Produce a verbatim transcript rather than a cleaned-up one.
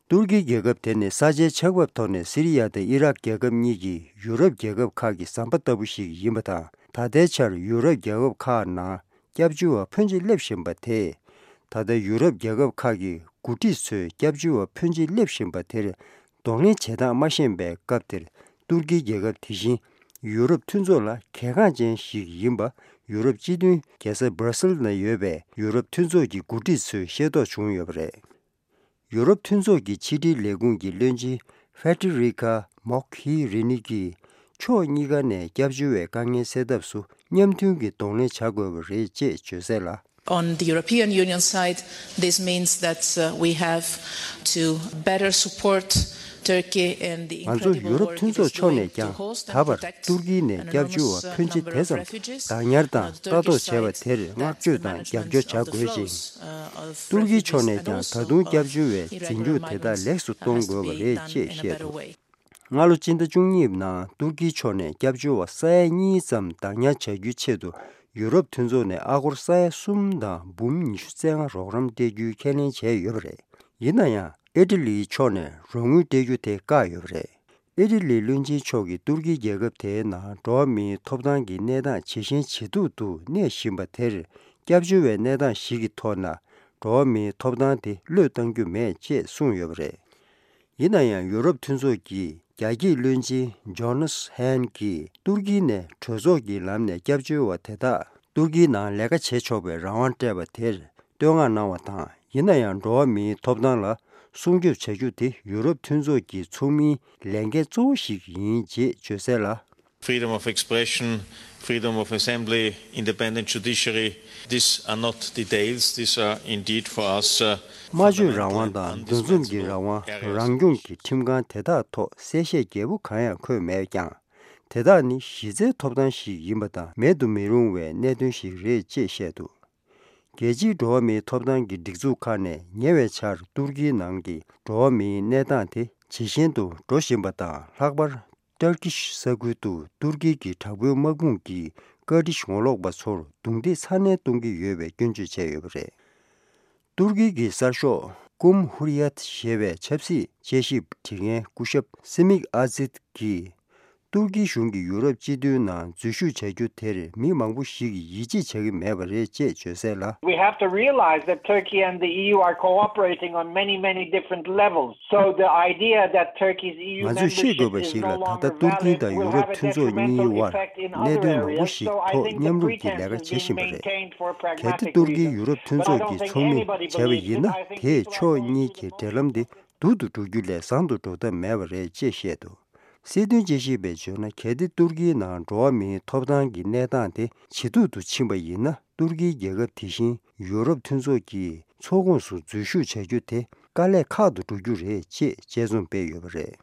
ཏུར་ཀི་རྒྱལ་ཁབ་དེ་ནི་ས་ཆའི་ཆགས་བབ་ཐོག་ནས་སི་རི་ཡ་དང་ཨི་རག་རྒྱལ་ཁབ་གཉིས་ཀྱི་ཡུ་རོབ་རྒྱལ་ཁབ་ཁག་གི་ཟམ་པ་ལྟ་བུ་ཞིག་ཡིན་པ་དང་། ད་ལྟའི་ཆར་ཡུ་རོབ་རྒྱལ་ཁབ་ཁག་ནང་སྐྱབས་བཅོལ་བ་ཕོན་ཆེ་སླེབས་བཞིན་པ་དེས། ད་ལྟ་ཡུ་རོབ་རྒྱལ་ཁབ་ཁག་གི་འགོ་ཁྲིད་ཚོས་སྐྱབས་བཅོལ་བ་ཕོན་ཆེ་སླེབས་བཞིན་པ་དེར་གདོང་ལེན་བྱེད་སྟངས་མ་ཤེས་པའི་སྐབས་དེར། ཏུར་ཀིའི་རྒྱལ་ཁབ་དེ་བཞིན་ཡུ་རོབ་མཐུན་ཚོགས་ལ་གལ་འགངས་ཅན་ཞིག་ཡིན་པ། ཡུ་རོབ་སྤྱི་མཐུན་རྒྱལ་ས་སྦར་སིལ་ནང་ཡོད་པའི་ཡུ་རོབ་མཐུན་ཚོགས་ཀྱི་འགོ་ཁྲིད་ཚོས་ཤེས་རྟོགས་བྱུང་ཡོད་པ་རེད། ཡུ་རོབ་མཐུན་ཚོགས་ཀྱི་ཕྱི་དྲིལ་ལས་ཁུངས་ཀྱི་བློན་ཆེན་ཧྥེ་ཏྲི་རི་ཁ་མོག་ཧི་རི་ནི་གིས། ཕྱོགས་གཉིས་ཀ་ནས་སྐྱབས་བཅོལ་བའི་དཀའ་ངལ་སེལ་ཐབས་སུ་མཉམ་མཐུན་གྱིས་གདོང་ལེན་བྱ་དགོས་པ་རེད་ཅེས་བརྗོད་གསལ་ལ། On the European Union side, this means that, uh, we have to better support Turkey and the ང་ཚོ་ཡུ་རོབ་མཐུན་ཚོགས་ཕྱོགས་ནས་ཀྱང་ད་བར་ཏུར་ཀི་ནས་སྐྱབས་བཅོལ་བ་ཕོན་ཆེ་དེ་ཙམ་བདག་ཉར་དང་ལྟ་རྟོག་བྱས་པ་དེར་བསྔགས་བརྗོད་དང་རྒྱབ་སྐྱོར་བྱ་དགོས་ཤིང་། ཏུར་ཀིའི་ཕྱོགས་ནས་ཀྱང་ད་དུང་སྐྱབས་བཅོལ་བའི་འཛིན་སྐྱོང་དེ་དག་ལེགས་སུ་གཏོང་དགོས་པ་རེད་ཅེས་བཤད་འདུག་སྔ་ལོ་སྤྱི་ཟླ་བཅུ་གཉིས་ནང་ཏུར་ཀིའི་ཕྱོགས་ནས་སྐྱབས་བཅོལ་བ་ས་ཡ་གཉིས་ཙམ་བདག་ཉར་བྱ་རྒྱུའི་ཆེད་དུ་ཡུ་རོབ་མཐུན་ཚོགས་ནས་ཨ་སྒོར་ས་ཡ་གསུམ་དང་འབུམ་ཉི་ཤུ་རྩ་ལྔ་རོགས་རམ་སྤྲད་རྒྱུའི་ཁས་ལེན་བྱས་ཡོད་པ་རེད། ཡིན་ན་ཡང་ཨི་ཊ་ལིའི་ཕྱོགས་ནས་རོགས་དངུལ་སྤྲད་རྒྱུ་དེ་བཀག་ཡོད་པ་རེད། ཨི་ཊ་ལིའི་བློན་ཆེན་མཆོག་གིས་ཏུར་ཀིའི་རྒྱལ་ཁབ་དེའི་ནང་འགྲོ་བ་མིའི་ཐོབ་ཐང་གི་གནས་སྟངས་ཇེ་ཞན་ཇེ་སྡུག་ཏུ་གནས་བཞིན་པ་དེར། སྐྱབས་བཅོལ་བའི་གནས་སྟངས་ཤིག་གི་ཐོག་ན་འགྲོ་བ་མིའི་ཐོབ་ཐང་དེ་བློས་གཏང་རྒྱུ་མེད་ཅེས་གསུངས་ཡོད་པ་རེད། ཡིན་ན་ཡང་ཡུ་རོབ་མཐུན་ཚོགས་ཀྱི་རྒྱ་སྐྱེད་བློན་ཆེན་ཇོ་ནཱས་ཧན་གྱིས་ཏུར་ཀི་ནས་གྲོས་ཚོགས་ཀྱི་ལམ་ནས་སྐྱབས་བཅོལ་བ་དེ་དག་ཏུར་ཀིའི་ནང་ལས་ཀ་བྱེད་ཆོག་པའི་རང་དབང་སྤྲད་པ་དེར་བསྟོད་བསྔགས་གནང་བ་དང་། ཡིན་ན་ཡང་འགྲོ་བ་མིའི་ཐོབ་ཐང་ལ་སྲུང་སྐྱོབ་བྱ་རྒྱུ་དེ་ཡུ་རོབ་མཐུན་ཚོགས་ཀྱི་ཚོགས་མིའི་ལས་འགན་གཙོ་བོ་ཞིག་ཡིན་ཅེས་བརྗོད་གསལ་ལ། Freedom of expression, freedom of assembly, independent judiciary, these are not details, these are indeed for us, uh, སྨྲ་བརྗོད་རང་དབང་དང་འདུ་འཛོམས་ཀྱི་རང་དབང་། རང་སྐྱོང་གི་ཁྲིམས་ཁང་དེ་དག་ཐོག་གསལ་བཤད་རྒྱས་པོ་གང་ཡང་འཁོད་མེད་ཀྱང་། དེ་དག་ནི་གཞི་རྩའི་ཐོབ་ཐང་ཞིག་ཡིན་པ་དང་མེད་དུ་མི་རུང་བའི་གནད་དོན་ཞིག་རེད་ཅེས་བཤད་འདུག་རྒྱལ་སྤྱིའི་འགྲོ་བ་མིའི་ཐོབ་ཐང་གི་སྒྲིག་འཛུགས་ཁག་ནས་ཉེ་བའི་ཆར་ཏུར་ཀིའི་ནང་གི་འགྲོ་བ་མིའི་གནས་སྟངས་དེ་ཇེ་ཞན་དུ་འགྲོ་བཞིན་པ་དང་། ལྷག་པར་ཏར་ཀིཤ་ས་ཁུལ་དུ་ཏུར་ཀི་གི་དྲག་པོའི་དམག་དཔུང་གིས་ཀར་ཏིཤ་ངོ་ལོག་པ་ཚོར་རྡུང་རྡེག་ཚ་ནན་གཏོང་གི་ཡོད་པའི་སྐྱོན་བརྗོད་བྱས་ཡོད་པ་རེད། ཏུར་ཀི་གི་གསར་ཤོག་ཀུམ་ཧུར་ཡད་ཞེས་པའི་ཆབ་སྲིད་དཔྱད་ཞིབ་བྱེད་མཁན་སྐུ་ཞབས་སི་མིག་ཨ་ཛིད་ཀྱིས། ཏུར་ཀིའི་གཞུང་གིས་ཡུ་རོབ་སྤྱི་མཐུན་ནང་འཛུལ་ཞུགས་བྱ་རྒྱུ་དེར་མི་མང་པོ་ཞིག་གིས་ཡིད་ཆེས་བྱ་གི་མེད་པ་རེད་ཅེས་བརྗོད་གསལ་ལ། We have to realize that Turkey and the E U are cooperating on many, many different levels. So the idea that Turkey's E U membership is no longer valid will have a different effect on our country. ང་ཚོས་ཤེས་དགོས་པ་ཞིག་ལ། ད་ལྟ་ཏུར་ཀི་དང་ཡུ་རོབ་མཐུན་ཚོགས་གཉིས་དབར་གནད་དོན་མང་པོ་ཞིག་ཐོག་མཉམ་རུབ་ཀྱིས་ལས་ཀ་བྱེད་བཞིན་པ་རེད། གལ་ཏེ་ཏུར་ཀིས་ཡུ་རོབ་མཐུན་ཚོགས་ཀྱི་ཚོགས་མི་བྱས་པ་ཡིན་ན། དེས་ཕྱོགས་གཉིས་ཀྱི་འབྲེལ་ལམ་དེ་སྡུག་ཏུ་འགྲོ་རྒྱུ་ལས་བཟང་དུ་འགྲོ་ཐབས་མེད་པ་རེད་ཅེས་བཤད་འདུག་སྲིད་དོན་དཔྱད་ཞིབ་པས་བརྗོད་ན། གལ་ཏེ་ཏུར་ཀིའི་ནང་འགྲོ་བ་མིའི་ཐོབ་ཐང་གི་གནས་སྟངས་དེ་ཇེ་སྡུག་ཏུ་ཕྱིན་པ་ཡིན་ན། ཏུར་ཀིའི་རྒྱལ་ཁབ་དེ་བཞིན་ཡུ་རོབ་མཐུན་ཚོགས་ཀྱི་ཚོགས་ཁོངས་སུ་འཛུལ་ཞུགས་བྱ་རྒྱུ་དེ་དཀའ་ལས་ཁག་ཏུ་འགྲོ་རྒྱུ་རེད་ཅེས་དཔྱད་རྩོམ་སྤེལ་ཡོད་པ་རེད།